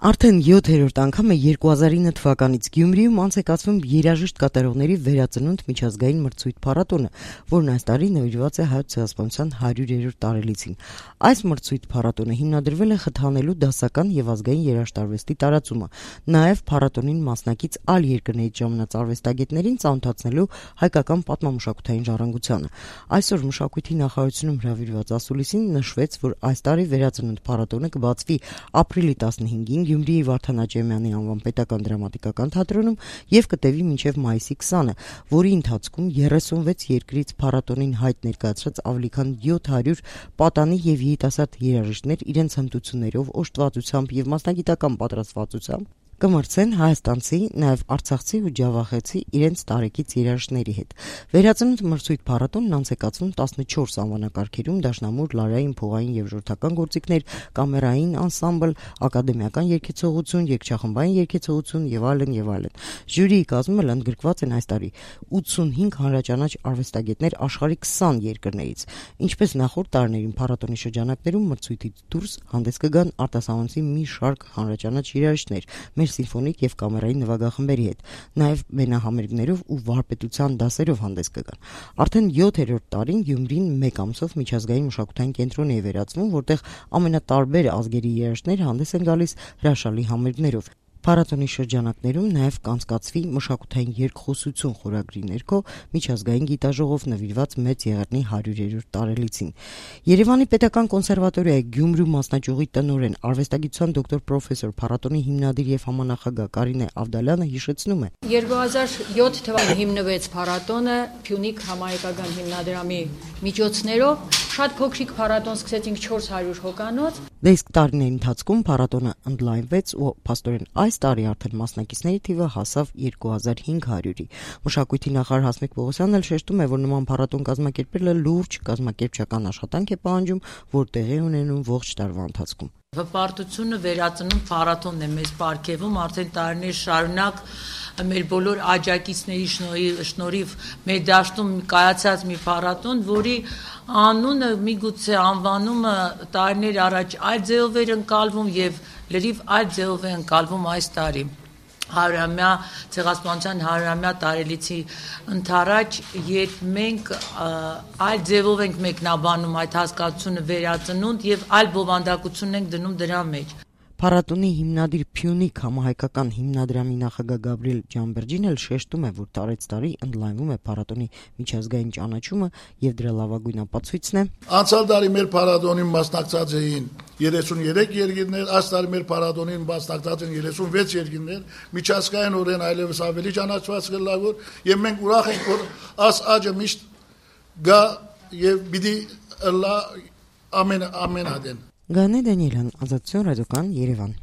Արդեն 7-րդ անգամ է 2009 թվականից Գյումրիում անց է կացվում երաժիշտ կատարողների վերածնունդ միջազգային մրցույթ փառատոնը, որն այս տարի նվիրված է Հայոց ցեղասպանության 100-րդ տարելիցին։ Այս մրցույթ փառատոնը հիմնադրվել է խթանելու դասական եւ ազգային երաժշտարվեստի տարածումը, նաեւ փառատոնին մասնակից այլ երկրներից ժամանած արվեստագետներին ծանոթացնելու հայկական պատմամշակութային ժառանգությանը։ Այսօր մշակույթի նախարարությունում հրավիրված ասուլիսին նշվեց, որ այս տարի վերածնունդ փառատոնը կբացվի ապրիլի 15-ին Գյումրիի Վարդան Աճեմյանի անվան պետական դրամատիկական թատրոնում եւ կտևի մինչեւ մայիսի 20-ը, որի ընթացքում 36 երկրից փառատոնին հայտ ներկայացրած ավելի քան 700 պատանի եւ երիտասարդ երաժիշտներ իրենց հմտություններով, օժտվածությամբ եւ մասնագիտական պատրաստվածությամբ կմրցեն հայաստանցի, նաև արցախցի ու ջավախեցի իրենց տարեկից երաժիշտների հետ։ Վերածնունդ մրցույթ փառատոնն անց է կացվում 14 անվանակարգերում՝ դաշնամուր, լարային, փողային եւ ժողովրդական գործիքներ, կամերային անսամբլ, ակադեմիական երգեցողություն, երգչախմբային երգեցողություն եւ այլն եւ այլն։ Ժյուրիի կազմում էլ ընդգրկված են այս տարի 85 հանրաճանաչ արվեստագետներ աշխարհի 20 երկրներից։ Ինչպես նախորդ տարիներին փառատոնի շրջանակներում մրցույթից դուրս հանդես կգան արտասահմանցի մի շարք հանրաճանաչ երաժիշտներ մեր սիմֆոնիկ եւ կամերային նվագախմբերի հետ, նաեւ մենահամերգներով ու վարպետության դասերով հանդես կգան։ Արդեն 7-րդ տարին Գյումրին մեկ ամսով միջազգային մշակութային կենտրոն է վերածվում, որտեղ ամենատարբեր ազգերի երաժիշտներ հանդես են գալիս հրաշալի համերգներով։ Փառատոնի շրջանակներում նաև կանցկացվի մշակութային երկխոսություն խորագրի ներքո միջազգային գիտաժողով նվիրված Մեծ Եղեռնի 100-րդ տարելիցին։ Երևանի պետական կոնսերվատորիայի Գյումրու մասնաճյուղի տնօրեն, արվեստագիտության դոկտոր պրոֆեսոր, փառատոնի հիմնադիր եւ համանախագահ Կարինե Ավդալյանը հիշեցնում է. 2007 թվականին հիմնվեց փառատոնը Փյունիկ համահայկական հիմնադրամի միջոցներով։ Շատ փոքրիկ փառատոն, սկսեցինք 400 հոգանոց։ Իսկ տարիների ընթացքում փառատոնը ընդլայնվեց ու փաստորեն այս տարի արդեն մասնակիցների թիվը հասավ 2500-ի։ Մշակույթի նախարար Հասմիկ Պողոսյանն էլ շեշտում է, որ նման փառատոն կազմակերպելը լուրջ կազմակերպչական աշխատանք է պահանջում, որ տեղի ունենում ողջ տարվա ընթացքում։ Հպարտությունը վերածնունդ փառատոնն է մեզ պարգևում արդեն տարիներ շարունակ մեր բոլոր աջակիցների շնորհիվ մեր դաշտում կայացած մի փառատոն, որի անունը միգուցե անվանումը տարիներ առաջ այլ ձևով էր ընկալվում եւ լրիվ այլ ձևով է ընկալվում այս տարի։ 100-ամյա ցեղասպանության 100-ամյա տարելիցի ընթരാճ, երբ մենք այլ ձևով ենք մեկնաբանում այդ հասկացությունը վերածնունդ եւ այլ բովանդակություն ենք դնում դրա մեջ։ Փառատոնի հիմնադիր Փյունիկ համահայկական հիմնադրամի նախագահ Գաբրիել Ջամբերջին էլ շեշտում է, որ տարեց տարի ընդլայնվում է փառատոնի միջազգային ճանաչումը եւ դրա լավագույն ապացույցն է. Անցյալ տարի մեր փառատոնին մասնակցած էին 33 երկիրներ, այս տարի մեր փառատոնին մասնակցած են 36 երկիրներ, միջազգայինորեն այլևս ավելի ճանաչված գլավոր, եւ մենք ուրախ ենք, որ այս աճը միշտ գա եւ պիտի լա ամեն ադեն։ Գանե Դանիելյան, Ազատություն ռադիոկան, Երևան։